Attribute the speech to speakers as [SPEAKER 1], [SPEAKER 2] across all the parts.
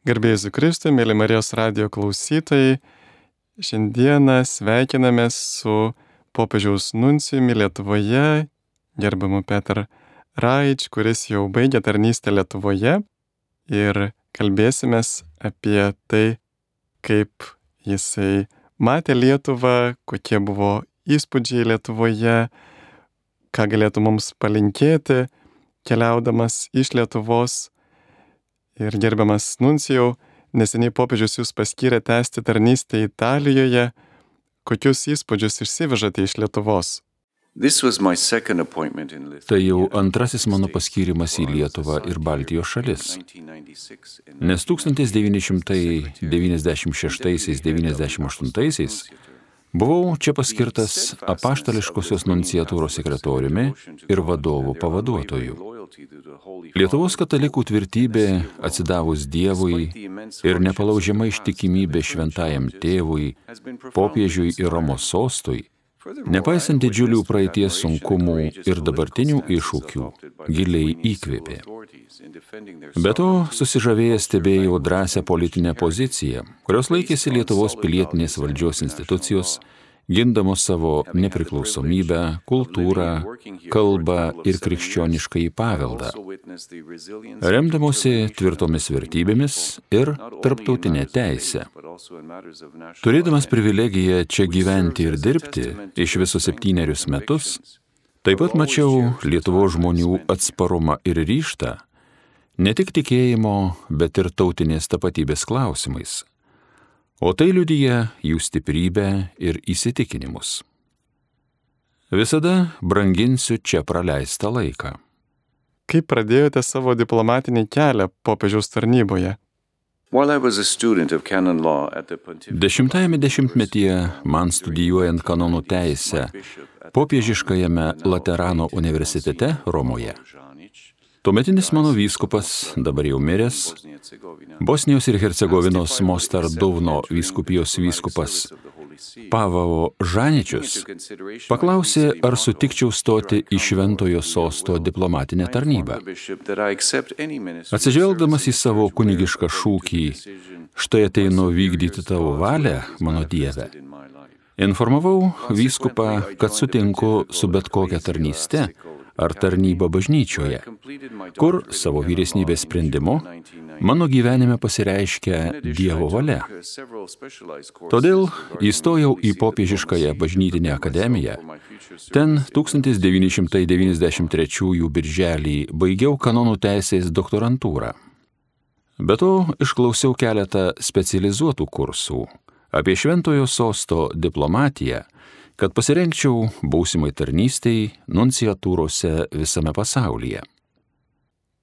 [SPEAKER 1] Garbė Jėzui Kristui, mėly Marijos radijo klausytojai, šiandieną sveikinamės su popiežiaus nuncijumi Lietuvoje, gerbiamu Petr Raič, kuris jau baigė tarnystę Lietuvoje, ir kalbėsimės apie tai, kaip jisai matė Lietuvą, kokie buvo įspūdžiai Lietuvoje, ką galėtų mums palinkėti, keliaudamas iš Lietuvos. Ir gerbiamas nuncijau, neseniai popiežius jūs paskyrė tęsti tarnystę Italijoje. Kokius įspūdžius išsivežate iš Lietuvos?
[SPEAKER 2] Tai jau antrasis mano paskyrimas į Lietuvą ir Baltijos šalis. Nes 1996–98 buvau čia paskirtas apaštališkosios nunciatūros sekretoriumi ir vadovų pavaduotoju. Lietuvos katalikų tvirtybė atsidavus Dievui ir nepalaužiama ištikimybė šventajam tėvui, popiežiui ir Romos sostui, nepaisant didžiulių praeities sunkumų ir dabartinių iššūkių, giliai įkvėpė. Be to, susižavėjęs stebėjau drąsią politinę poziciją, kurios laikėsi Lietuvos pilietinės valdžios institucijos, gindamos savo nepriklausomybę, kultūrą, kalbą ir krikščioniškąjį paveldą, remdamosi tvirtomis vertybėmis ir tarptautinę teisę. Turėdamas privilegiją čia gyventi ir dirbti iš viso 7 metus, taip pat mačiau Lietuvos žmonių atsparumą ir ryžtą, ne tik tikėjimo, bet ir tautinės tapatybės klausimais. O tai liudija jų stiprybę ir įsitikinimus. Visada branginsiu čia praleistą laiką.
[SPEAKER 1] Kaip pradėjote savo diplomatinį kelią popiežiaus tarnyboje?
[SPEAKER 2] 10-ame dešimtmetyje, man studijuojant kanonų teisę popiežiškajame Laterano universitete Romoje, tuometinis mano vyskupas, dabar jau miręs, Bosnijos ir Hercegovinos Mostar Duvno vyskupijos vyskupas Pavao Žaničius paklausė, ar sutikčiau stoti į Šventojo sosto diplomatinę tarnybą. Atsižvelgdamas į savo kunigišką šūkį, štai ateinu vykdyti tavo valią, mano Dieve, informavau vyskupą, kad sutinku su bet kokia tarnyste ar tarnyba bažnyčioje, kur savo vyresnybės sprendimu mano gyvenime pasireiškia Dievo valia. Todėl įstojau į popiežiškąją bažnytinę akademiją. Ten 1993 birželį baigiau kanonų teisės doktorantūrą. Be to, išklausiau keletą specializuotų kursų apie Šventojo sosto diplomatiją, kad pasirengčiau būsimai tarnystei nunciatūrose visame pasaulyje.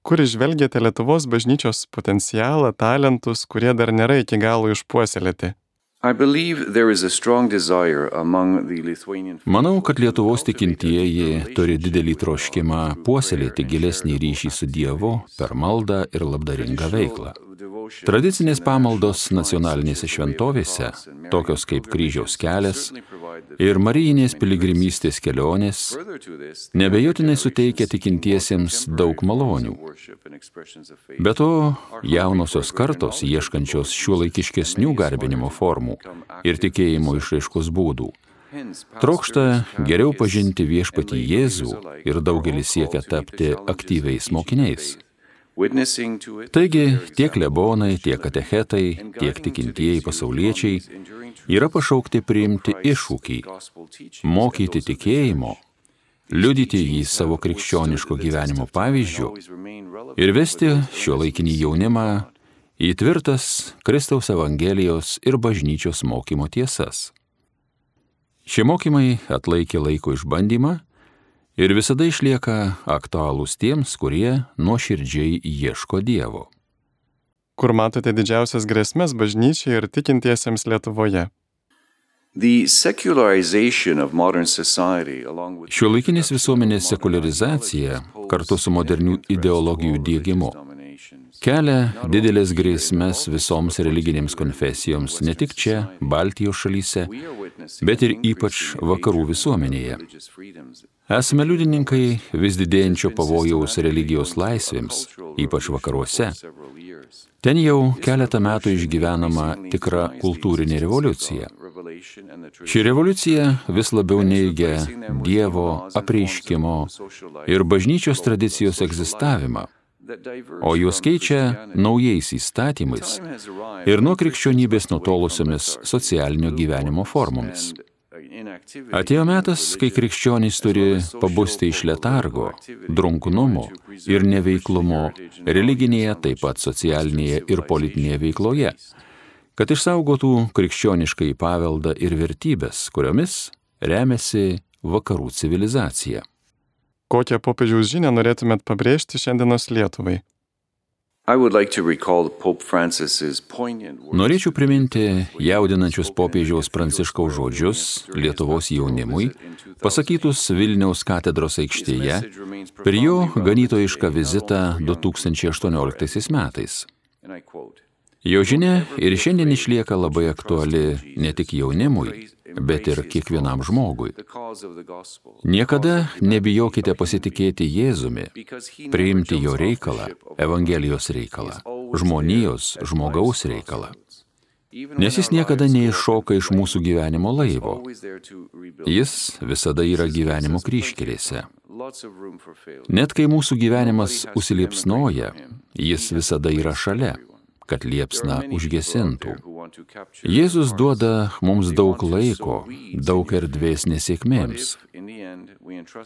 [SPEAKER 1] Kur įžvelgėte Lietuvos bažnyčios potencialą, talentus, kurie dar nėra iki galo išpuoselėti?
[SPEAKER 2] Manau, kad Lietuvos tikintieji turi didelį troškimą puoselėti gilesnį ryšį su Dievu per maldą ir labdaringą veiklą. Tradicinės pamaldos nacionalinėse šventovėse, tokios kaip Kryžiaus kelias ir marijinės piligrimystės kelionės, neabejotinai suteikia tikintiesiems daug malonių. Be to, jaunosios kartos, ieškančios šiuolaikiškesnių garbinimo formų ir tikėjimo išraiškos būdų, trokšta geriau pažinti viešpatį Jėzų ir daugelis siekia tapti aktyviais mokiniais. Taigi, tiek klebonai, tiek katechetai, tiek tikintieji pasauliečiai yra pašaukti priimti iššūkį, mokyti tikėjimo, liudyti jį savo krikščioniško gyvenimo pavyzdžiu ir vesti šiuolaikinį jaunimą į tvirtas Kristaus Evangelijos ir bažnyčios mokymo tiesas. Šie mokymai atlaikė laiko išbandymą ir visada išlieka aktualūs tiems, kurie nuoširdžiai ieško Dievo.
[SPEAKER 1] Kur matote didžiausias grėsmes bažnyčiai ir tikintiesiems Lietuvoje?
[SPEAKER 2] Šiuolaikinės visuomenės sekuliarizacija kartu su modernių ideologijų diegimu kelia didelės grėsmes visoms religinėms konfesijoms ne tik čia, Baltijos šalyse, bet ir ypač vakarų visuomenėje. Esame liudininkai vis didėjančio pavojaus religijos laisvėms, ypač vakaruose. Ten jau keletą metų išgyvenama tikra kultūrinė revoliucija. Ši revoliucija vis labiau neigia Dievo apreiškimo ir bažnyčios tradicijos egzistavimą, o juos keičia naujais įstatymais ir nuo krikščionybės nutolusiomis socialinio gyvenimo formomis. Atėjo metas, kai krikščionys turi pabusti iš letargo, drunkumo ir neveiklumo religinėje, taip pat socialinėje ir politinėje veikloje, kad išsaugotų krikščioniškai paveldą ir vertybės, kuriomis remiasi vakarų civilizacija.
[SPEAKER 1] Kokią popiežiaus žinią norėtumėt pabrėžti šiandienos Lietuvai?
[SPEAKER 2] Norėčiau priminti jaudinančius popiežiaus Pranciškaus žodžius Lietuvos jaunimui, pasakytus Vilniaus katedros aikštėje per jo ganytojišką vizitą 2018 metais. Jo žinia ir šiandien išlieka labai aktuali ne tik jaunimui, bet ir kiekvienam žmogui. Niekada nebijokite pasitikėti Jėzumi, priimti jo reikalą, Evangelijos reikalą, žmonijos, žmogaus reikalą. Nes jis niekada neiššoka iš mūsų gyvenimo laivo. Jis visada yra gyvenimo kryžkelėse. Net kai mūsų gyvenimas užsiliepsnoja, jis visada yra šalia, kad liepsna užgesintų. Jėzus duoda mums daug laiko, daug erdvės nesėkmėms.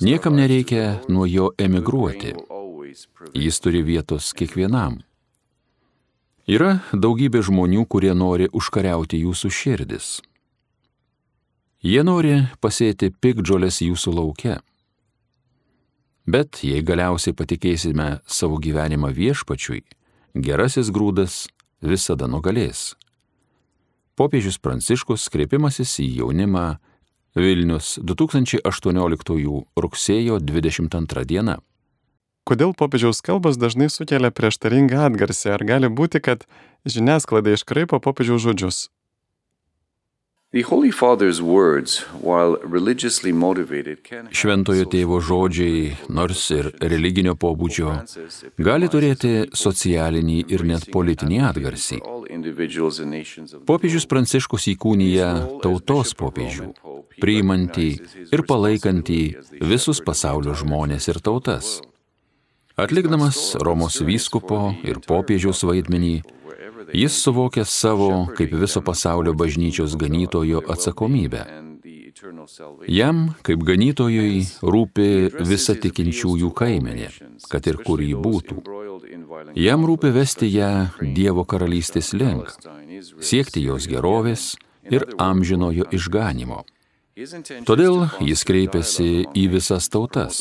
[SPEAKER 2] Niekam nereikia nuo jo emigruoti. Jis turi vietos kiekvienam. Yra daugybė žmonių, kurie nori užkariauti jūsų širdis. Jie nori pasėti piktžoles jūsų lauke. Bet jei galiausiai patikėsime savo gyvenimą Viešpačiui, gerasis grūdas visada nugalės. Popiežius Pranciškus kreipimasis į jaunimą Vilnius 2018 rugsėjo 22 diena.
[SPEAKER 1] Kodėl popiežiaus kalbos dažnai sukelia prieštaringą atgarsį? Ar gali būti, kad žiniasklaida iškraipo popiežiaus žodžius?
[SPEAKER 2] Šventojo tėvo žodžiai, nors ir religinio pobūdžio, gali turėti socialinį ir net politinį atgarsį. Popiežius Pranciškus įkūnija tautos popiežių, priimantį ir palaikantį visus pasaulio žmones ir tautas. Atlikdamas Romos vyskupo ir popiežiaus vaidmenį, jis suvokia savo kaip viso pasaulio bažnyčios ganytojo atsakomybę. Jam, kaip ganytojui, rūpi visa tikinčiųjų kaimenė, kad ir kur ji būtų. Jam rūpi vesti ją Dievo karalystės link, siekti jos gerovės ir amžinojo išganymo. Todėl jis kreipiasi į visas tautas,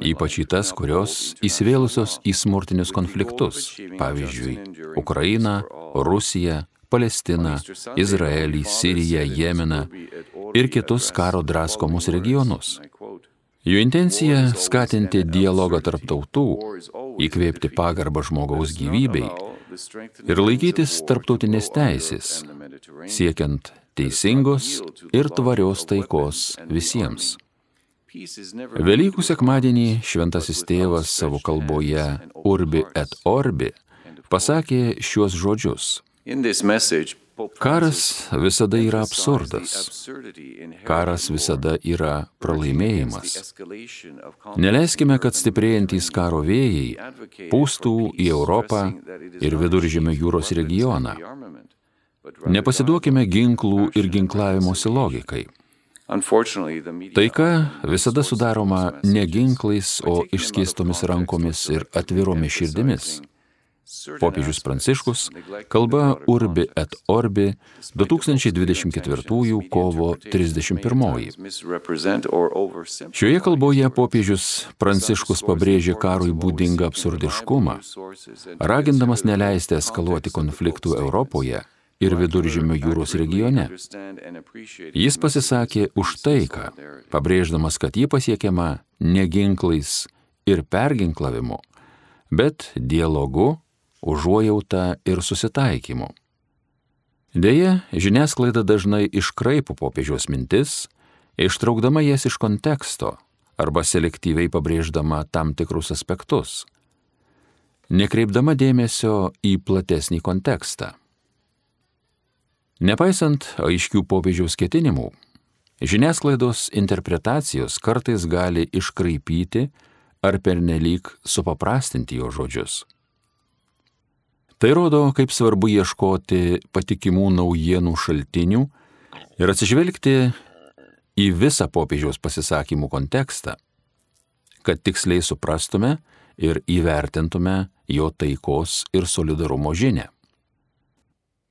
[SPEAKER 2] ypač į tas, kurios įsivėlusios į smurtinius konfliktus, pavyzdžiui, Ukrainą, Rusiją, Palestiną, Izraelį, Siriją, Jemeną ir kitus karo draskomus regionus. Jo intencija – skatinti dialogą tarp tautų, įkvėpti pagarbą žmogaus gyvybei ir laikytis tarptautinės teisės, siekiant teisingos ir tvarios taikos visiems. Velykų sekmadienį šventasis tėvas savo kalboje Urbi et Orbi pasakė šiuos žodžius. Karas visada yra absurdas. Karas visada yra pralaimėjimas. Neleiskime, kad stiprėjantys karo vėjai pūstų į Europą ir Viduržemio jūros regioną. Nepasiduokime ginklų ir ginklavimosi logikai. Taika visada sudaroma ne ginklais, o išskėstomis rankomis ir atviromis širdimis. Popiežius Pranciškus, kalba Urbi et Orbi, 2024 kovo 31. Šioje kalboje popiežius Pranciškus pabrėžė karui būdingą absurdiškumą, ragindamas neleisti eskaluoti konfliktų Europoje ir Viduržemio jūros regione. Jis pasisakė už taiką, pabrėždamas, kad ji pasiekiama ne ginklais ir perginklavimu, bet dialogu, užuojauta ir susitaikymu. Deja, žiniasklaida dažnai iškraipo popiežiaus mintis, ištraukdama jas iš konteksto arba selektyviai pabrėždama tam tikrus aspektus, nekreipdama dėmesio į platesnį kontekstą. Nepaisant aiškių popiežiaus ketinimų, žiniasklaidos interpretacijos kartais gali iškraipyti ar pernelyg supaprastinti jo žodžius. Tai rodo, kaip svarbu ieškoti patikimų naujienų šaltinių ir atsižvelgti į visą popiežiaus pasisakymų kontekstą, kad tiksliai suprastume ir įvertintume jo taikos ir solidarumo žinią.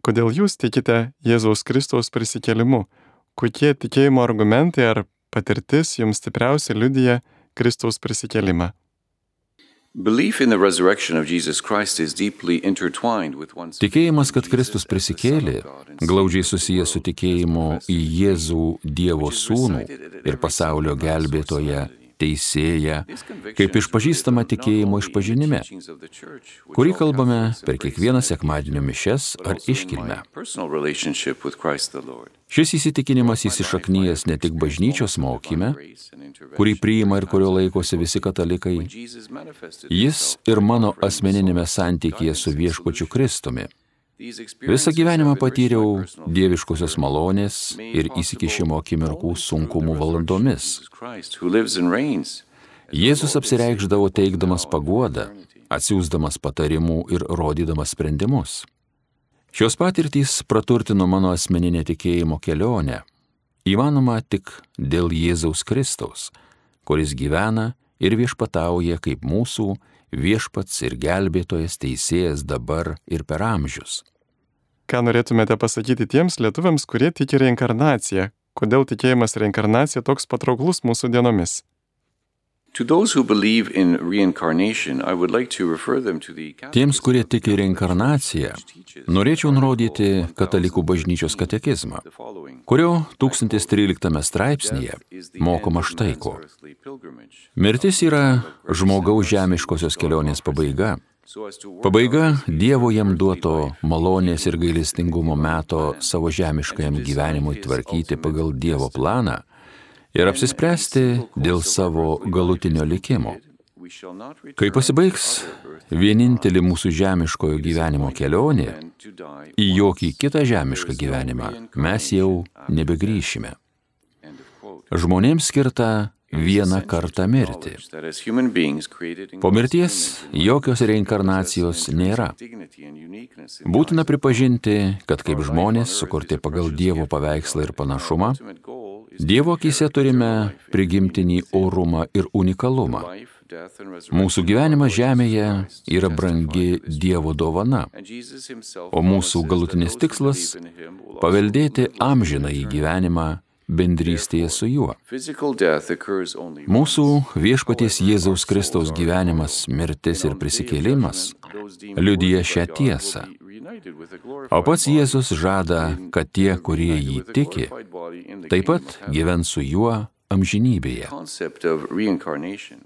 [SPEAKER 1] Kodėl jūs tikite Jėzaus Kristaus prisikėlimu? Kokie tikėjimo argumentai ar patirtis jums stipriausiai liudija Kristaus prisikėlimą?
[SPEAKER 2] Tikėjimas, kad Kristus prisikėlė, glaudžiai susijęs su tikėjimu į Jėzų Dievo Sūnų ir pasaulio gelbėtoją, teisėją, kaip išpažįstama tikėjimo išpažinime, kurį kalbame per kiekvieną sekmadienio mišias ar iškilmę. Šis įsitikinimas įsišaknyjęs ne tik bažnyčios mokyme, kurį priima ir kurio laikosi visi katalikai, jis ir mano asmeninėme santykyje su viešpačiu Kristumi. Visą gyvenimą patyriau dieviškosios malonės ir įsikišimo akimirkų sunkumų valandomis. Jėzus apsireikšdavo teikdamas paguodą, atsiųsdamas patarimų ir rodydamas sprendimus. Šios patirtys praturtino mano asmeninę tikėjimo kelionę, įmanoma tik dėl Jėzaus Kristaus, kuris gyvena ir viešpatauja kaip mūsų viešpats ir gelbėtojas teisėjas dabar ir per amžius.
[SPEAKER 1] Ką norėtumėte pasakyti tiems lietuviams, kurie tiki reinkarnaciją? Kodėl tikėjimas reinkarnacija toks patrauklus mūsų dienomis?
[SPEAKER 2] Tiems, kurie tiki reinkarnaciją, norėčiau nurodyti Katalikų bažnyčios katekizmą, kurio 1013 straipsnyje mokoma štai ko. Mirtis yra žmogaus žemiškosios kelionės pabaiga. Pabaiga Dievo jam duoto malonės ir gailestingumo meto savo žemiškajam gyvenimui tvarkyti pagal Dievo planą ir apsispręsti dėl savo galutinio likimo. Kai pasibaigs vienintelį mūsų žemiškojo gyvenimo kelionė, į jokį kitą žemišką gyvenimą mes jau nebegrįšime. Žmonėms skirta vieną kartą mirti. Po mirties jokios reinkarnacijos nėra. Būtina pripažinti, kad kaip žmonės, sukurti pagal Dievo paveikslą ir panašumą, Dievo akyse turime prigimtinį orumą ir unikalumą. Mūsų gyvenimas žemėje yra brangi Dievo dovana, o mūsų galutinis tikslas – paveldėti amžinąjį gyvenimą bendrystėje su juo. Mūsų viešpaties Jėzaus Kristaus gyvenimas, mirtis ir prisikėlimas liudija šią tiesą. O pats Jėzus žada, kad tie, kurie jį tiki, taip pat gyvens su juo amžinybėje.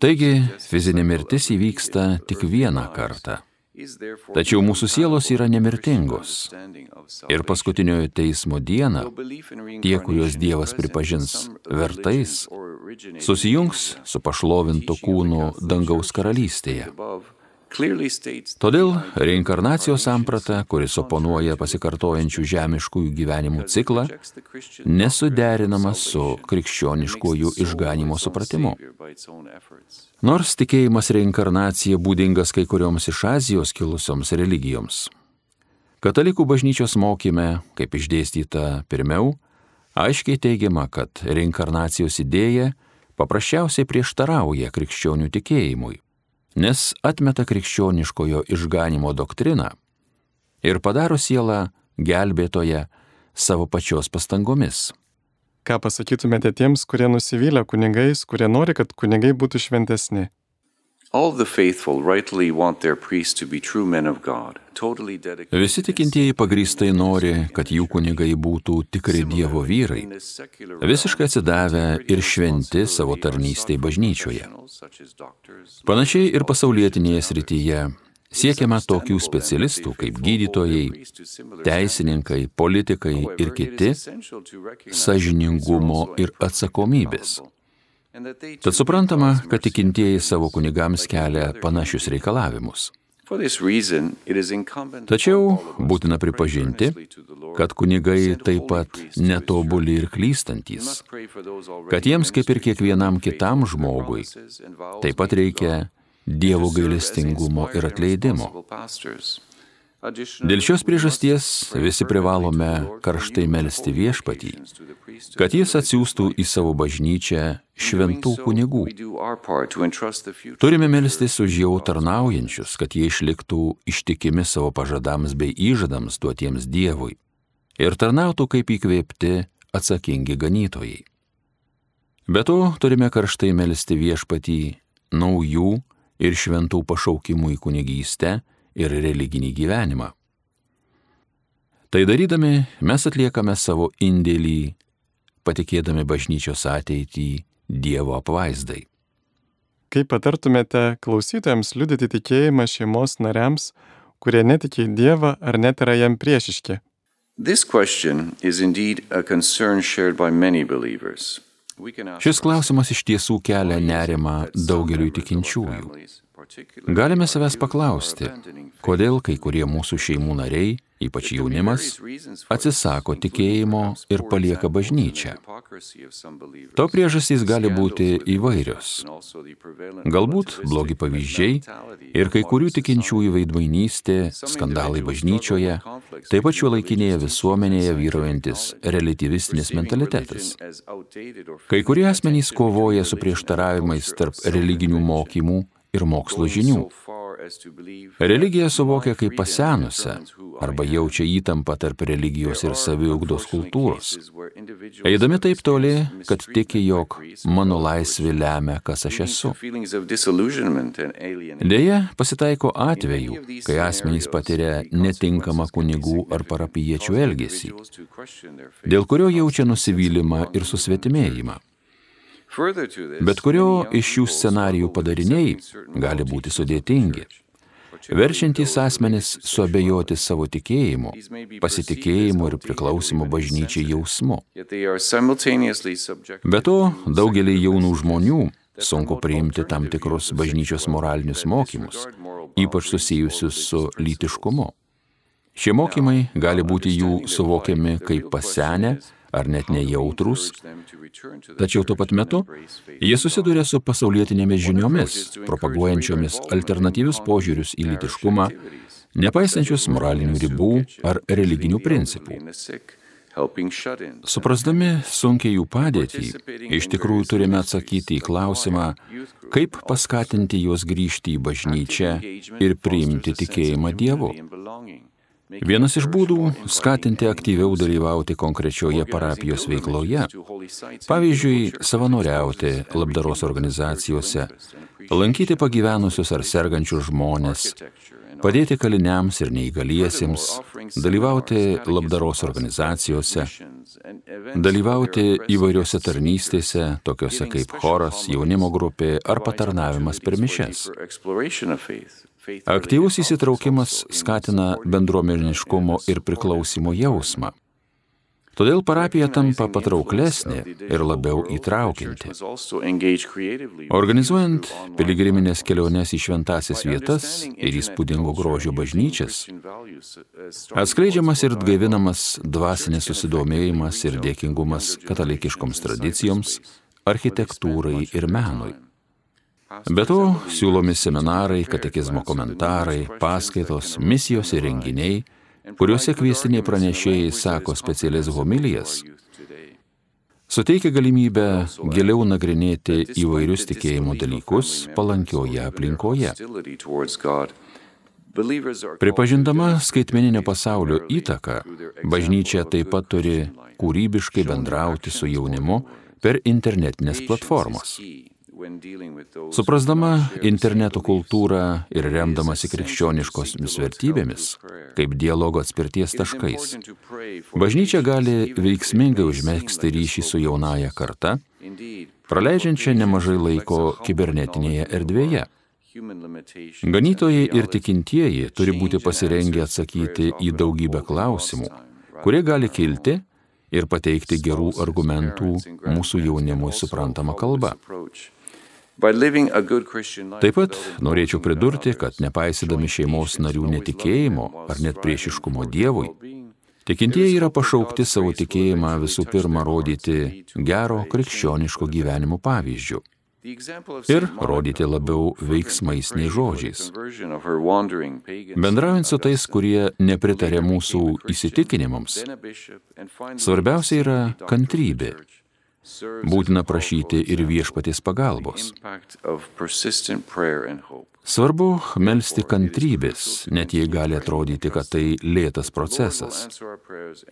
[SPEAKER 2] Taigi, fizinė mirtis įvyksta tik vieną kartą. Tačiau mūsų sielos yra nemirtingos. Ir paskutiniojo teismo dieną tie, kuriuos Dievas pripažins vertais, susijungs su pašlovintu kūnu dangaus karalystėje. Todėl reinkarnacijos samprata, kuris oponuoja pasikartojančių žemiškųjų gyvenimų ciklą, nesuderinama su krikščioniškuoju išganymo supratimu. Nors tikėjimas reinkarnacija būdingas kai kurioms iš Azijos kilusioms religijoms, Katalikų bažnyčios mokyme, kaip išdėstyta pirmiau, aiškiai teigiama, kad reinkarnacijos idėja paprasčiausiai prieštarauja krikščionių tikėjimui, nes atmeta krikščioniškojo išganymo doktriną ir padaro sielą gelbėtoją savo pačios pastangomis.
[SPEAKER 1] Ką pasakytumėte tiems, kurie nusivylę kunigais, kurie nori, kad kunigai būtų šventesni?
[SPEAKER 2] Visi tikintieji pagrįstai nori, kad jų kunigai būtų tikri Dievo vyrai, visiškai atsidavę ir šventi savo tarnystei bažnyčioje. Panašiai ir pasaulietinėje srityje Siekiama tokių specialistų kaip gydytojai, teisininkai, politikai ir kiti sąžiningumo ir atsakomybės. Tad suprantama, kad tikintieji savo kunigams kelia panašius reikalavimus. Tačiau būtina pripažinti, kad kunigai taip pat netobuli ir klystantys, kad jiems kaip ir kiekvienam kitam žmogui taip pat reikia Dievo gailestingumo ir atleidimo. Dėl šios priežasties visi privalome karštai melsti Viešpatį, kad Jis atsiųstų į savo bažnyčią šventų kunigų. Turime melstis už jau tarnaujančius, kad jie išliktų ištikimi savo pažadams bei įžadams duotiems Dievui ir tarnautų kaip įkvėpti atsakingi ganytojai. Be to, turime karštai melsti Viešpatį naujų ir šventų pašaukimų į kunigystę ir religinį gyvenimą. Tai darydami mes atliekame savo indėlį, patikėdami bažnyčios ateitį Dievo apvaizdai.
[SPEAKER 1] Kaip patartumėte klausytojams liudyti tikėjimą šeimos nariams, kurie netiki į Dievą ar net yra jam priešiški?
[SPEAKER 2] Šis klausimas iš tiesų kelia nerimą daugeliui tikinčiųjų. Galime savęs paklausti, kodėl kai kurie mūsų šeimų nariai, ypač jaunimas, atsisako tikėjimo ir palieka bažnyčią. To priežastys gali būti įvairios. Galbūt blogi pavyzdžiai ir kai kurių tikinčiųjų veidmainystė, skandalai bažnyčioje, taip pat šiuolaikinėje visuomenėje vyraujantis reliatyvistinis mentalitetas. Kai kurie asmenys kovoja su prieštaravimais tarp religinių mokymų ir mokslo žinių. Religiją suvokia kaip pasenusią arba jaučia įtampą tarp religijos ir saviugdos kultūros. Eidami taip toli, kad tiki, jog mano laisvė lemia, kas aš esu. Deja, pasitaiko atvejų, kai asmenys patiria netinkamą kunigų ar parapijiečių elgesį, dėl kurio jaučia nusivylimą ir susvetimėjimą. Bet kurio iš šių scenarijų padariniai gali būti sudėtingi, verčiantys asmenis suabejoti savo tikėjimu, pasitikėjimu ir priklausimu bažnyčiai jausmu. Be to, daugelį jaunų žmonių sunku priimti tam tikrus bažnyčios moralinius mokymus, ypač susijusius su lytiškumu. Šie mokymai gali būti jų suvokiami kaip pasenę ar net nejautrūs, tačiau tuo pat metu jie susiduria su pasaulietinėmis žiniomis, propaguojančiomis alternatyvius požiūrius į lytiškumą, nepaisančius moralinių ribų ar religinių principų. Suprasdami sunkiai jų padėtį, iš tikrųjų turime atsakyti į klausimą, kaip paskatinti juos grįžti į bažnyčią ir priimti tikėjimą Dievu. Vienas iš būdų – skatinti aktyviau dalyvauti konkrečioje parapijos veikloje, pavyzdžiui, savanoriauti labdaros organizacijose, lankyti pagyvenusius ar sergančius žmones, padėti kaliniams ir neįgaliesiems, dalyvauti labdaros organizacijose, dalyvauti įvairiose tarnystėse, tokiose kaip choras, jaunimo grupė ar patarnavimas per mišias. Aktyvus įsitraukimas skatina bendruomeniškumo ir priklausimo jausmą. Todėl parapija tampa patrauklesnė ir labiau įtraukianti. Organizuojant piligriminės keliones į šventąsias vietas ir įspūdingo grožio bažnyčias, atskleidžiamas ir atgaivinamas dvasinis susidomėjimas ir dėkingumas katalikiškoms tradicijoms, architektūrai ir menui. Be to, siūlomi seminarai, katekizmo komentarai, paskaitos, misijos ir renginiai, kuriuose kviestiniai pranešėjai sako specialias homilijas, suteikia galimybę giliau nagrinėti įvairius tikėjimo dalykus palankioje aplinkoje. Pripažindama skaitmeninio pasaulio įtaką, bažnyčia taip pat turi kūrybiškai bendrauti su jaunimu per internetinės platformas. Suprasdama interneto kultūrą ir remdamasi krikščioniškomis vertybėmis, kaip dialogo atspirties taškais, bažnyčia gali veiksmingai užmegzti ryšį su jaunąja karta, praleidžiančia nemažai laiko kibernetinėje erdvėje. Ganytojai ir tikintieji turi būti pasirengę atsakyti į daugybę klausimų, kurie gali kilti ir pateikti gerų argumentų mūsų jaunimui suprantama kalba. Taip pat norėčiau pridurti, kad nepaisydami šeimos narių netikėjimo ar net priešiškumo Dievui, tikintieji yra pašaukti savo tikėjimą visų pirma rodyti gero krikščioniško gyvenimo pavyzdžiu ir rodyti labiau veiksmais nei žodžiais. Bendraujant su tais, kurie nepritarė mūsų įsitikinimams, svarbiausia yra kantrybė. Būtina prašyti ir viešpaties pagalbos. Svarbu melsti kantrybės, net jei gali atrodyti, kad tai lėtas procesas.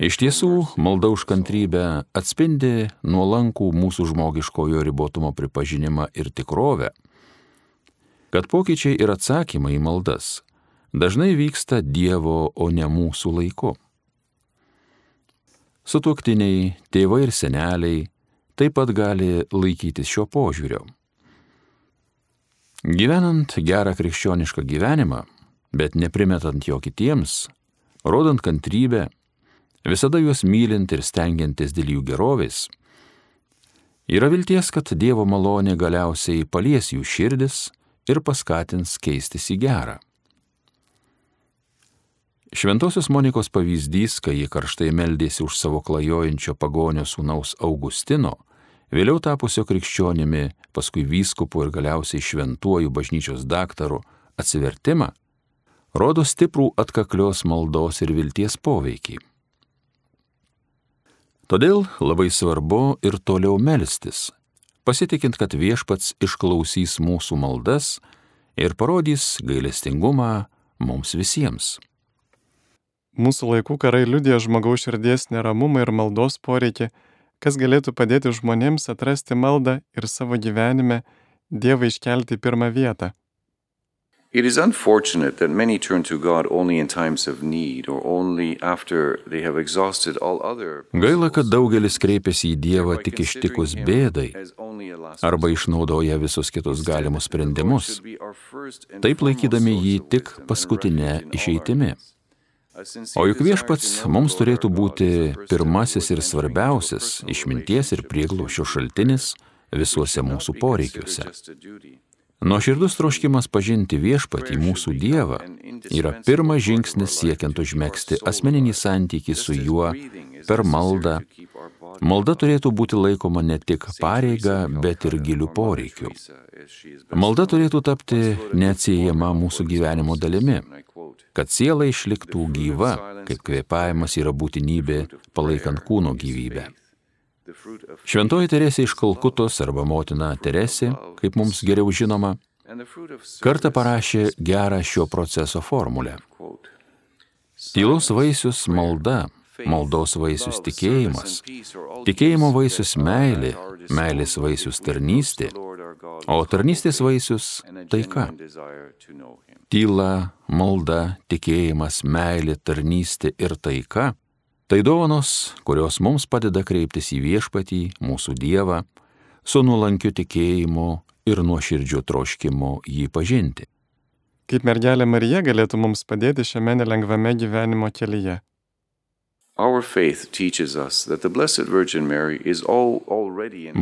[SPEAKER 2] Iš tiesų, malda už kantrybę atspindi nuolankų mūsų žmogiškojo ribotumo pripažinimą ir tikrovę, kad pokyčiai ir atsakymai į maldas dažnai vyksta Dievo, o ne mūsų laiku. Sutuoktiniai, tėvai ir seneliai taip pat gali laikytis šio požiūrio. Gyvenant gerą krikščionišką gyvenimą, bet neprimetant jo kitiems, rodant kantrybę, visada juos mylint ir stengiantis dėl jų gerovės, yra vilties, kad Dievo malonė galiausiai palies jų širdis ir paskatins keistis į gerą. Šventosios Monikos pavyzdys, kai ji karštai meldėsi už savo klajojančio pagonio sūnaus Augustino, vėliau tapusio krikščionimi, paskui vyskupu ir galiausiai šventuoju bažnyčios daktaru atsivertimą, rodo stiprų atkaklios maldos ir vilties poveikį. Todėl labai svarbu ir toliau melstis, pasitikint, kad viešpats išklausys mūsų maldas ir parodys gailestingumą mums visiems.
[SPEAKER 1] Mūsų laikų karai liudija žmogaus širdies neramumą ir maldos poreikį, kas galėtų padėti žmonėms atrasti maldą ir savo gyvenime Dievą iškelti į pirmą vietą.
[SPEAKER 3] It is unfortunate that many turn to God only in times of need or only after they have exhausted all other.
[SPEAKER 2] Gaila, kad daugelis kreipiasi į Dievą tik ištikus bėdai arba išnaudoja visus kitus galimus sprendimus, taip laikydami jį tik paskutinę išeitimi. O juk viešpats mums turėtų būti pirmasis ir svarbiausias išminties ir prieglobsčio šaltinis visuose mūsų poreikiuose. Nuoširdus troškimas pažinti viešpatį mūsų Dievą yra pirmas žingsnis siekiant užmegzti asmeninį santykį su juo per maldą. Malda turėtų būti laikoma ne tik pareiga, bet ir gilių poreikių. Malda turėtų tapti neatsiejama mūsų gyvenimo dalimi, kad siela išliktų gyva, kaip kvėpavimas yra būtinybė palaikant kūno gyvybę. Šventoji Teresė iš Kalkutos arba motina Teresė, kaip mums geriau žinoma, kartą parašė gerą šio proceso formulę. Tylos vaisius malda, maldos vaisius tikėjimas, tikėjimo vaisius meilė, meilės vaisius tarnystė, o tarnystės vaisius taika. Tyla, malda, tikėjimas, meilė, tarnystė ir taika – tai dovanos, kurios mums padeda kreiptis į viešpatį, mūsų Dievą, su nuolankiu tikėjimu ir nuoširdžiu troškimu jį pažinti.
[SPEAKER 1] Kaip mergelė Marija galėtų mums padėti šiame nelengvame gyvenimo kelyje?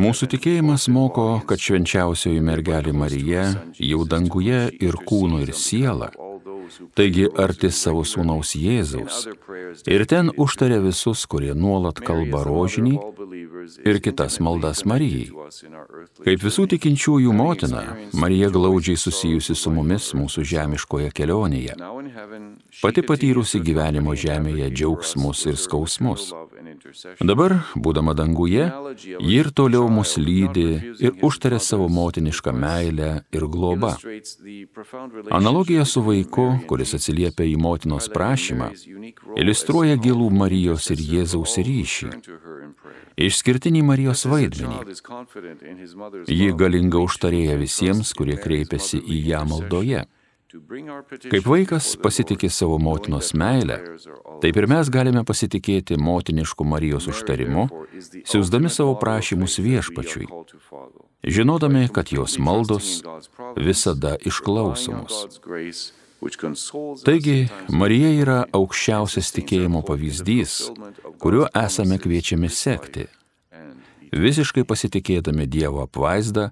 [SPEAKER 2] Mūsų tikėjimas moko, kad švenčiausioji mergelė Marija jau danguje ir kūnu ir siela, taigi arti savo sūnaus Jėzaus, ir ten užtaria visus, kurie nuolat kalba rožinį ir kitas maldas Marijai. Kaip visų tikinčiųjų motina, Marija glaudžiai susijusi su mumis mūsų žemiškoje kelionėje, pati patyrusi gyvenimo žemėje džiaugsmus ir skausmus. Dabar, būdama danguje, ji ir toliau mus lydi ir užtaria savo motinišką meilę ir globą. Analogija su vaiku, kuris atsiliepia į motinos prašymą, iliustruoja gilų Marijos ir Jėzaus ryšį, išskirtinį Marijos vaidmenį. Ji galinga užtarėja visiems, kurie kreipiasi į ją maldoje. Kaip vaikas pasitikė savo motinos meilę, taip ir mes galime pasitikėti motinišku Marijos užtarimu, siųsdami savo prašymus Viešpačiui, žinodami, kad jos maldos visada išklausomos. Taigi, Marija yra aukščiausias tikėjimo pavyzdys, kuriuo esame kviečiami sekti, visiškai pasitikėdami Dievo apvaizdą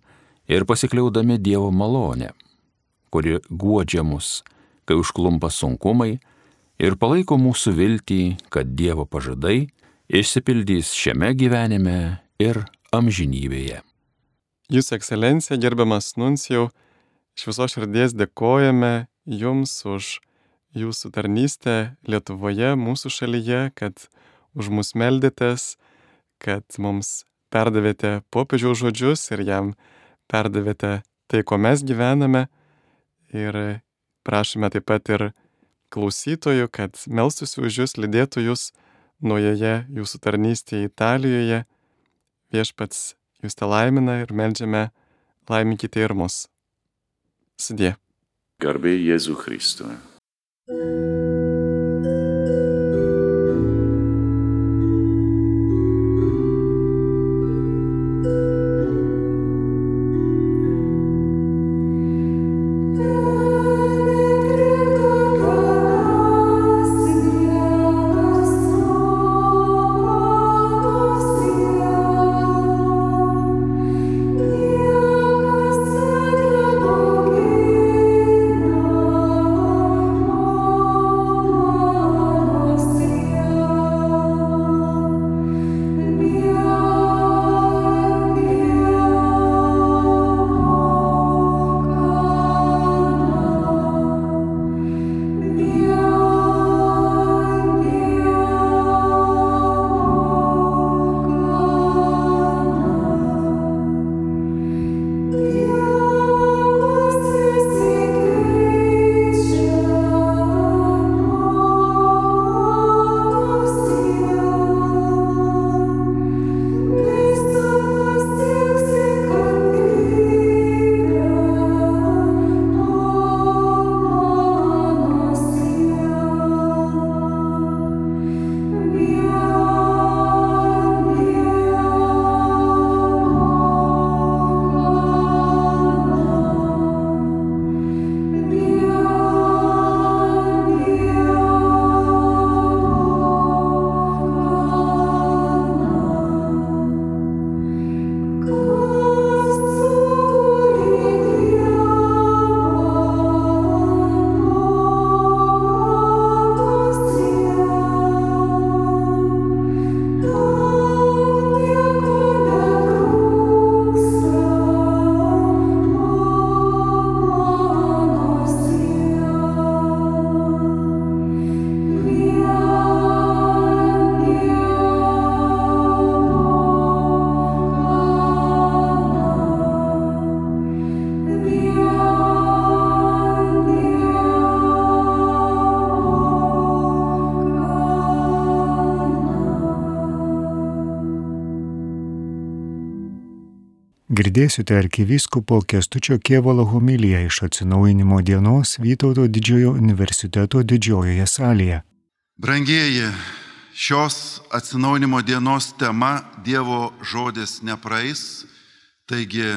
[SPEAKER 2] ir pasikliaudami Dievo malonę, kuri guodžia mus, kai užklumpa sunkumai ir palaiko mūsų viltį, kad Dievo pažadai išsipildys šiame gyvenime ir amžinybėje.
[SPEAKER 1] Jūsų ekscelencija, gerbiamas nuncijau, iš visos širdies dėkojame Jums už Jūsų tarnystę Lietuvoje, mūsų šalyje, kad už mus meldėtės, kad mums perdavėte popiežiaus žodžius ir jam perdavėte tai, ko mes gyvename. Ir prašome taip pat ir klausytojų, kad melstųsi už Jūs, lydėtų Jūs naujoje Jūsų tarnystėje Italijoje. Viešpats Jūs te laimina ir meldžiame, laiminkite ir mus. Sudie.
[SPEAKER 3] Garbė Jėzui Kristui.
[SPEAKER 4] Girdėsite arkivyskupo Kęstučio Kėvalo homiliją iš Atsinaujinimo dienos Vytauto Didžiojo universiteto didžiojoje salėje.
[SPEAKER 5] Brangieji, šios Atsinaujinimo dienos tema Dievo žodis nepraeis, taigi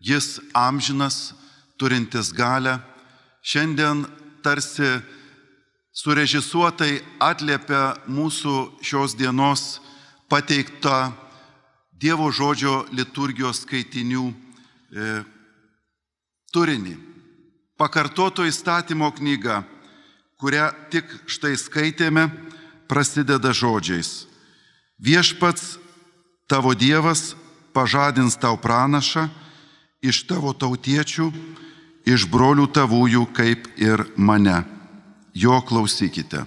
[SPEAKER 5] jis amžinas, turintis galę, šiandien tarsi surežisuotai atliepia mūsų šios dienos pateiktą Dievo žodžio liturgijos skaitinių turinį. Pakartoto įstatymo knyga, kurią tik štai skaitėme, prasideda žodžiais. Viešpats tavo Dievas pažadins tau pranašą iš tavo tautiečių, iš brolių tavųjų kaip ir mane. Jo klausykite.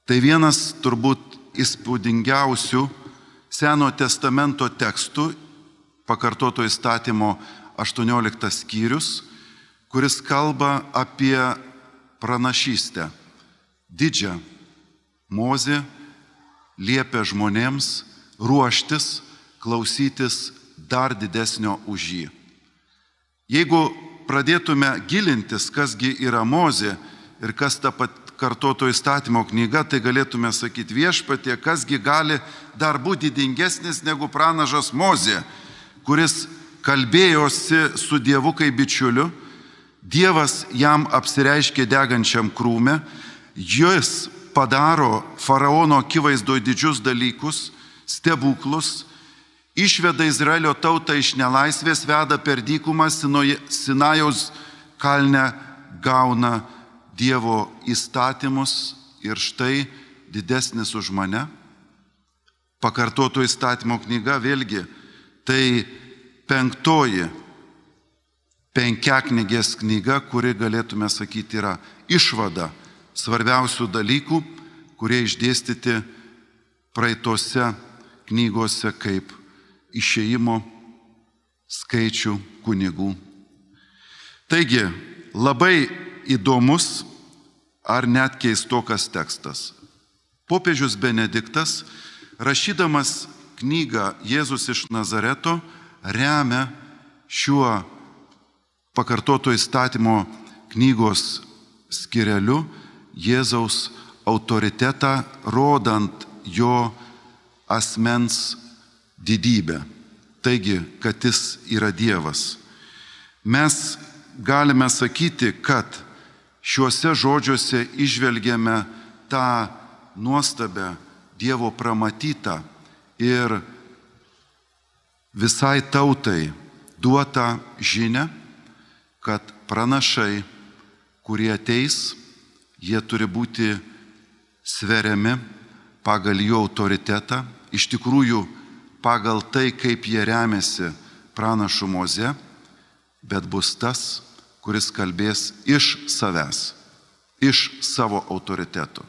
[SPEAKER 5] Tai vienas turbūt įspūdingiausių Seno testamento tekstų, pakartoto įstatymo 18 skyrius, kuris kalba apie pranašystę. Didžią. Mozė liepia žmonėms ruoštis, klausytis dar didesnio už jį. Jeigu pradėtume gilintis, kasgi yra Mozė ir kas ta pakartoto įstatymo knyga, tai galėtume sakyti Viešpatie, kasgi gali dar būti didingesnis negu pranašas Mozė, kuris kalbėjosi su Dievu kaip bičiuliu, Dievas jam apsireiškė degančiam krūme, jis padaro faraono akivaizdoje didžius dalykus, stebuklus, išveda Izraelio tautą iš nelaisvės, veda per dykumą, Sinajaus kalne gauna Dievo įstatymus ir štai didesnis už mane. Pakartoto įstatymo knyga vėlgi tai 5. penkiaknygės knyga, kuri galėtume sakyti yra išvada svarbiausių dalykų, kurie išdėstyti praeitose knygose kaip Išėjimo, Skaičių, Kunigų. Taigi, labai įdomus ar net keistokas tekstas. Popiežius Benediktas, rašydamas knygą Jėzus iš Nazareto, remia šiuo pakartoto įstatymo knygos skyreliu Jėzaus autoritetą, rodant jo asmens didybę. Taigi, kad jis yra Dievas. Mes galime sakyti, kad šiuose žodžiuose išvelgiame tą nuostabę Dievo pramatytą ir visai tautai duotą žinią, kad pranašai, kurie ateis, jie turi būti sveriami pagal jų autoritetą, iš tikrųjų pagal tai, kaip jie remiasi pranašu Moze, bet bus tas, kuris kalbės iš savęs, iš savo autoriteto.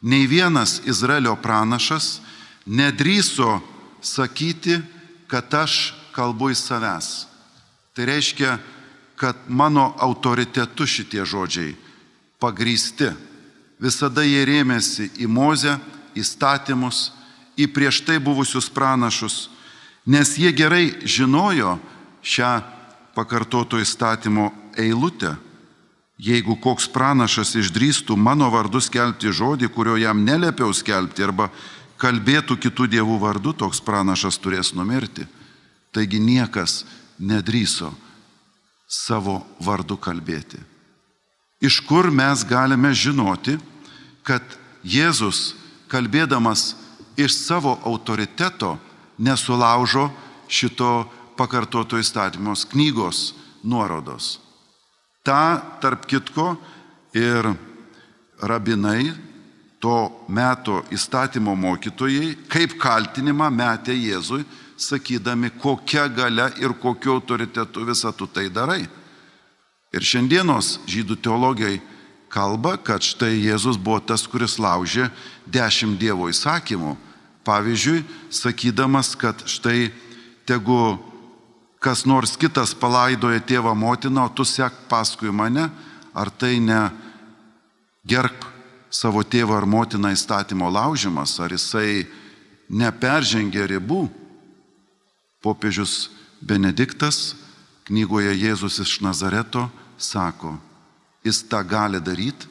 [SPEAKER 5] Nei vienas Izraelio pranašas nedrįso sakyti, kad aš kalbu iš savęs. Tai reiškia, kad mano autoritetu šitie žodžiai pagrįsti. Visada jie rėmėsi į Mozę, įstatymus, į prieš tai buvusius pranašus, nes jie gerai žinojo šią pakartoto įstatymo eilutę. Jeigu koks pranašas išdrįstų mano vardu skelbti žodį, kurio jam neliepiau skelbti, arba kalbėtų kitų dievų vardu, toks pranašas turės numirti. Taigi niekas nedrįso savo vardu kalbėti. Iš kur mes galime žinoti, kad Jėzus, kalbėdamas iš savo autoriteto, nesulaužo šito pakartoto įstatymos knygos nuorodos. Ta, tarp kitko, ir rabinai, to meto įstatymo mokytojai, kaip kaltinimą metė Jėzui, sakydami, kokia galia ir kokiu autoritetu visą tu tai darai. Ir šiandienos žydų teologai kalba, kad štai Jėzus buvo tas, kuris laužė 10 Dievo įsakymų. Pavyzdžiui, sakydamas, kad štai tegu kas nors kitas palaidoja tėvą motiną, o tu sek paskui mane, ar tai ne gerbk savo tėvą ar motiną įstatymo laužimas, ar jisai neperžengė ribų. Popiežius Benediktas knygoje Jėzus iš Nazareto sako, jis tą gali daryti,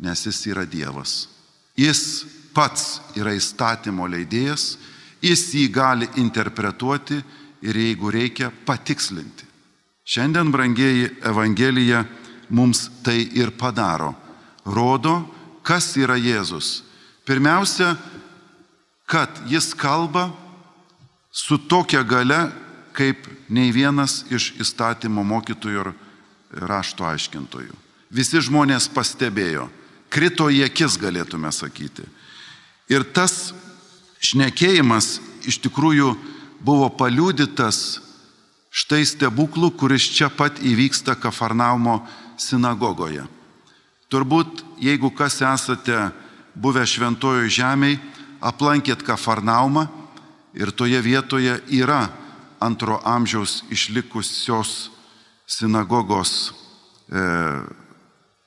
[SPEAKER 5] nes jis yra Dievas. Jis pats yra įstatymo leidėjas, jis jį gali interpretuoti ir jeigu reikia patikslinti. Šiandien, brangieji, Evangelija mums tai ir padaro. Rodo, kas yra Jėzus. Pirmiausia, kad jis kalba su tokia galia, kaip nei vienas iš įstatymo mokytojų ir rašto aiškintojų. Visi žmonės pastebėjo, krito į akis, galėtume sakyti. Ir tas šnekėjimas iš tikrųjų buvo paliudytas štai stebuklų, kuris čia pat įvyksta Kafarnaumo sinagogoje. Turbūt, jeigu kas esate buvę Šventojoje žemėje, aplankėt Kafarnaumą ir toje vietoje yra 2 amžiaus išlikusios sinagogos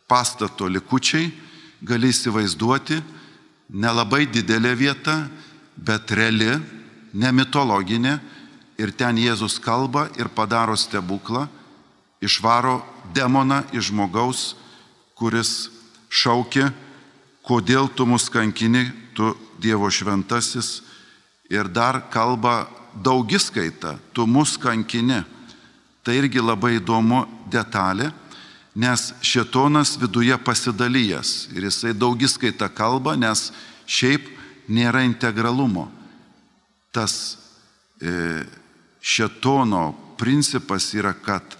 [SPEAKER 5] pastato likučiai, gali įsivaizduoti, nelabai didelė vieta, bet reali, ne mitologinė, ir ten Jėzus kalba ir padaro stebuklą, išvaro demoną iš žmogaus, kuris šaukia, kodėl tu mus kankini, tu Dievo šventasis, ir dar kalba daugiskaita, tu mus kankini. Tai irgi labai įdomu detalė, nes šėtonas viduje pasidalijęs ir jisai daugiskaita kalba, nes šiaip nėra integralumo. Tas šėtono principas yra, kad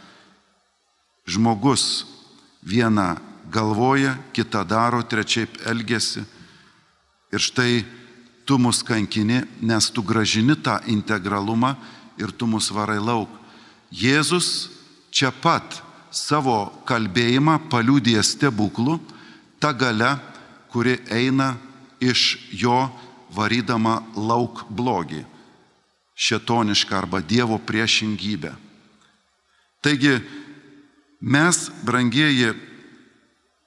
[SPEAKER 5] žmogus vieną galvoja, kitą daro, trečiaip elgesi. Ir štai tu mus kankini, nes tu gražini tą integralumą ir tu mus varai lauk. Jėzus čia pat savo kalbėjimą paliudija stebuklų, ta galia, kuri eina iš jo varydama lauk blogį, šėtonišką arba Dievo priešingybę. Taigi mes, brangieji,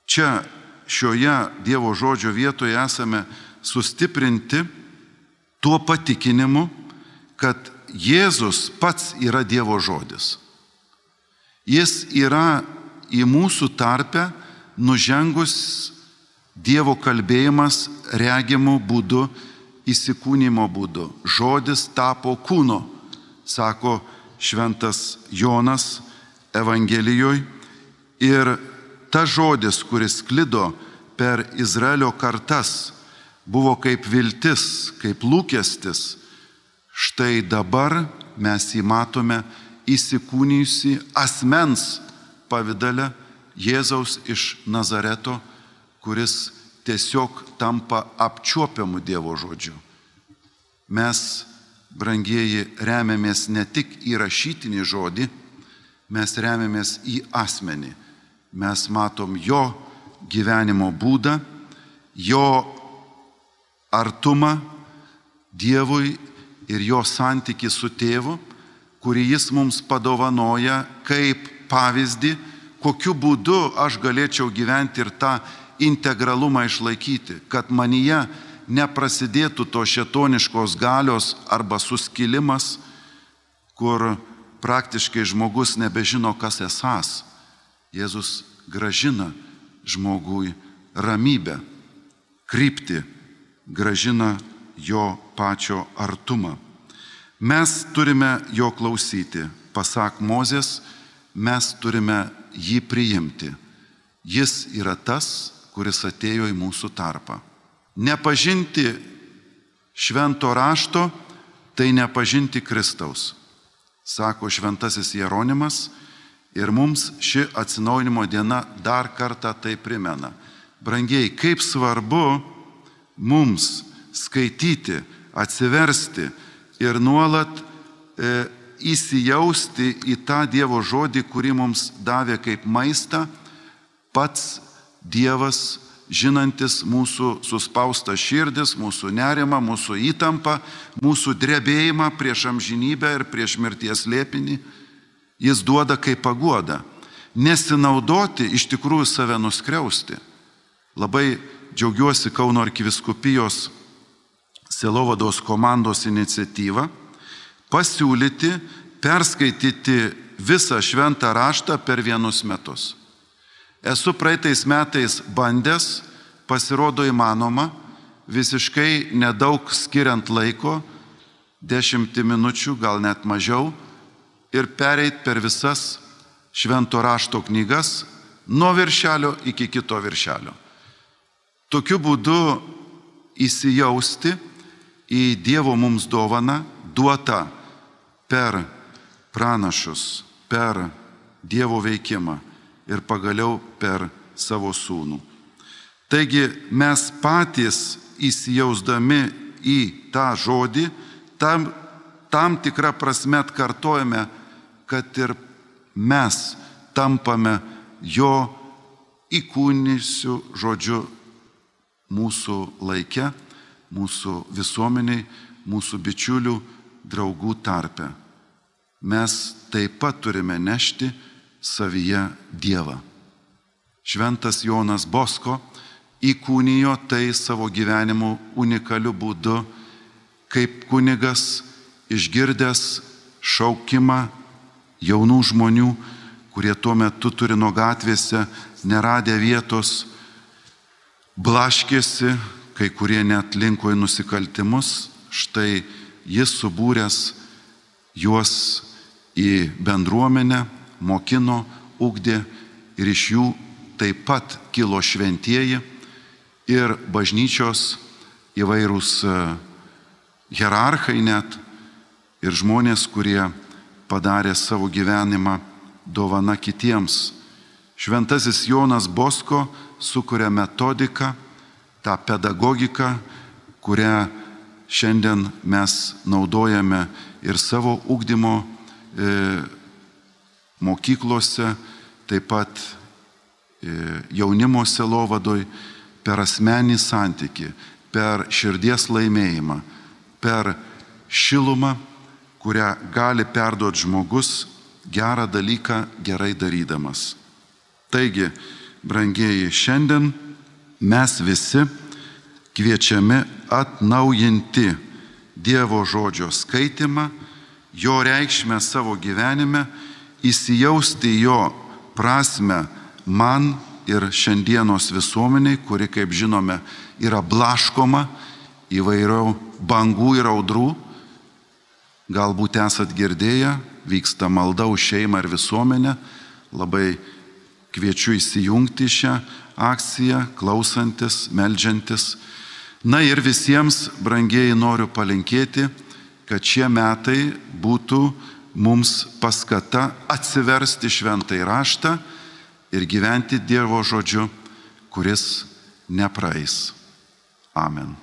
[SPEAKER 5] čia šioje Dievo žodžio vietoje esame sustiprinti tuo patikinimu, kad Jėzus pats yra Dievo žodis. Jis yra į mūsų tarpę nužengus Dievo kalbėjimas regimų būdu, įsikūnymo būdu. Žodis tapo kūnu, sako šventas Jonas Evangelijoje. Ir tas žodis, kuris sklido per Izraelio kartas, buvo kaip viltis, kaip lūkestis. Štai dabar mes jį matome įsikūnijusi asmens pavidale Jėzaus iš Nazareto, kuris tiesiog tampa apčiuopiamu Dievo žodžiu. Mes, brangieji, remiamės ne tik į rašytinį žodį, mes remiamės į asmenį. Mes matom jo gyvenimo būdą, jo artumą Dievui ir jo santykį su tėvu, kurį jis mums padovanoja kaip pavyzdį, kokiu būdu aš galėčiau gyventi ir tą integralumą išlaikyti, kad manyje neprasidėtų to šėtoniškos galios arba suskilimas, kur praktiškai žmogus nebežino, kas esąs. Jėzus gražina žmogui ramybę, kryptį, gražina jo pačio artumą. Mes turime jo klausyti. Pasak Mozės, mes turime jį priimti. Jis yra tas, kuris atėjo į mūsų tarpą. Nepažinti švento rašto, tai nepažinti Kristaus, sako šventasis Jeronimas, ir mums ši atsinaujinimo diena dar kartą tai primena. Brangieji, kaip svarbu mums skaityti, atsiversti ir nuolat įsijausti į tą Dievo žodį, kurį mums davė kaip maistą pats Dievas, žinantis mūsų suspaustą širdis, mūsų nerimą, mūsų įtampą, mūsų drebėjimą prieš amžinybę ir prieš mirties slėpinį. Jis duoda kaip paguoda. Nesinaudoti, iš tikrųjų save nuskriausti. Labai džiaugiuosi Kauno arkivyskupijos sielovados komandos iniciatyvą pasiūlyti, perskaityti visą šventą raštą per 1 metus. Esu praeitais metais bandęs, pasirodo įmanoma, visiškai nedaug skiriant laiko, 10 minučių, gal net mažiau, ir pereit per visas švento rašto knygas nuo viršelio iki kito viršelio. Tokiu būdu įsijausti į Dievo mums dovaną, duotą per pranašus, per Dievo veikimą ir pagaliau per savo sūnų. Taigi mes patys įsijausdami į tą žodį, tam tikrą prasme atkartojame, kad ir mes tampame jo įkūnysiu žodžiu mūsų laike, mūsų visuomeniai, mūsų bičiulių, draugų tarpe. Mes taip pat turime nešti savyje Dievą. Šventas Jonas Bosko įkūnijo tai savo gyvenimu unikaliu būdu, kaip kunigas išgirdęs šaukimą jaunų žmonių, kurie tuo metu Turino gatvėse neradę vietos, blaškėsi, kai kurie net linko į nusikaltimus. Štai jis subūręs juos į bendruomenę, mokino, ugdė ir iš jų taip pat kilo šventieji ir bažnyčios įvairūs hierarchai net ir žmonės, kurie padarė savo gyvenimą dovana kitiems. Šventasis Jonas Bosko sukuria metodiką, tą pedagogiką, kurią šiandien mes naudojame ir savo ugdymo mokyklose, taip pat jaunimo sielovadoj, per asmenį santykį, per širdies laimėjimą, per šilumą, kurią gali perduoti žmogus gerą dalyką gerai darydamas. Taigi, brangieji, šiandien mes visi kviečiami atnaujinti Dievo žodžio skaitimą, jo reikšmę savo gyvenime, įsijausti jo prasme man ir šiandienos visuomeniai, kuri, kaip žinome, yra blaškoma įvairių bangų ir audrų. Galbūt esat girdėję, vyksta malda už šeimą ir visuomenę. Labai kviečiu įsijungti šią akciją, klausantis, meldžiantis. Na ir visiems, brangieji, noriu palinkėti, kad šie metai būtų mums paskata atsiversti šventąjį raštą ir gyventi Dievo žodžiu, kuris nepraeis. Amen.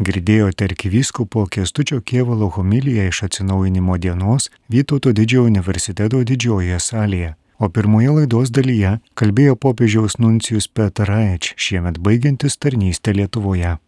[SPEAKER 4] Girdėjote arkivyskupo Kęstučio Kėvalo homiliją iš atsinaujinimo dienos Vytauto Didžiojo universiteto didžiojoje salėje. O pirmoje laidos dalyje kalbėjo popiežiaus nuncijus Peter Raich, šiemet baigiantis tarnystę Lietuvoje.